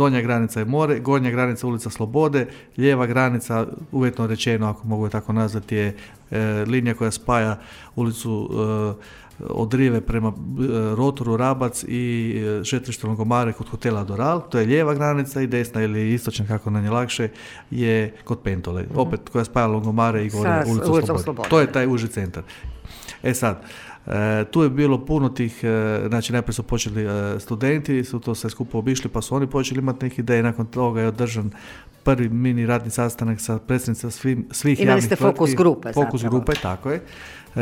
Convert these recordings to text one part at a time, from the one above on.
donja granica je more, gornja granica ulica Slobode, lijeva granica, uvjetno rečeno, ako mogu je tako nazvati, je linija koja spaja ulicu od Rive prema Rotoru, Rabac i šetrište Longomare kod hotela Doral, to je lijeva granica, i desna ili istočna, kako nam je lakše, je kod Pentole, opet koja spaja Longomare i gore ulicu Slobode. To je taj uži centar. Sad, tu je bilo puno tih, znači najprije su počeli studenti, su to sve skupo obišli, pa su oni počeli imati neke ideje, nakon toga je održan prvi mini radni sastanak sa predstavnicima svih javnih tvrtki. Imali ste fokus grupe, tako je.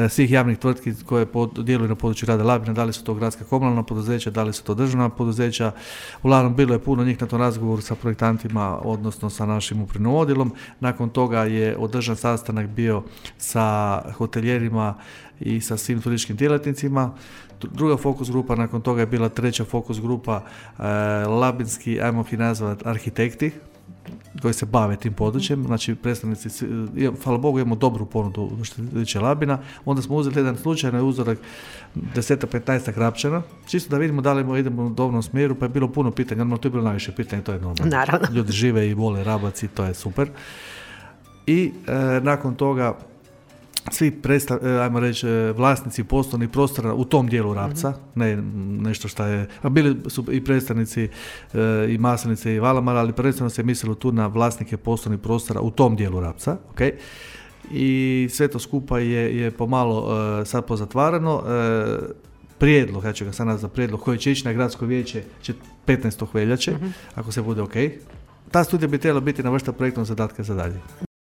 Svih javnih tvrtki koje djeluju na području grada Labina, da li su to gradska komunalna poduzeća, da li su to državna poduzeća. Uglavnom bilo je puno njih na tom razgovoru sa projektantima, odnosno sa našim upravnim odjelom. Nakon toga je održan sastanak bio sa hoteljerima i sa svim turističkim djelatnicima. Druga fokus grupa, nakon toga je bila treća fokus grupa, labinski, ajmo ih nazvati, arhitekti koji se bave tim područjem, znači predstavnici, hvala Bogu imamo dobru ponudu što se tiče Labina, onda smo uzeli jedan slučajni uzorak 10-15 Rapčana, čisto da vidimo da li idemo u dobrom smjeru, pa je bilo puno pitanja, normalno to je bilo najviše pitanja, to je normalno. Naravno. Ljudi žive i vole Rabac i to je super. I nakon toga svi ajmo reći, vlasnici poslovnih prostora u tom dijelu Rapca, ne nešto što je, a bili su i predstavnici i Maslenice i Valamara, ali prvenstveno se mislilo tu na vlasnike poslovnih prostora u tom dijelu Rapca, okay? I sve to skupa je pomalo sad pozatvarano. Prijedlog, ja ću ga sad nazvati prijedlog, koji će ići na gradsko vijeće 15. veljače, ako se bude ok. Ta studija bi trebala biti na vrsta projektnog zadatka za dalje.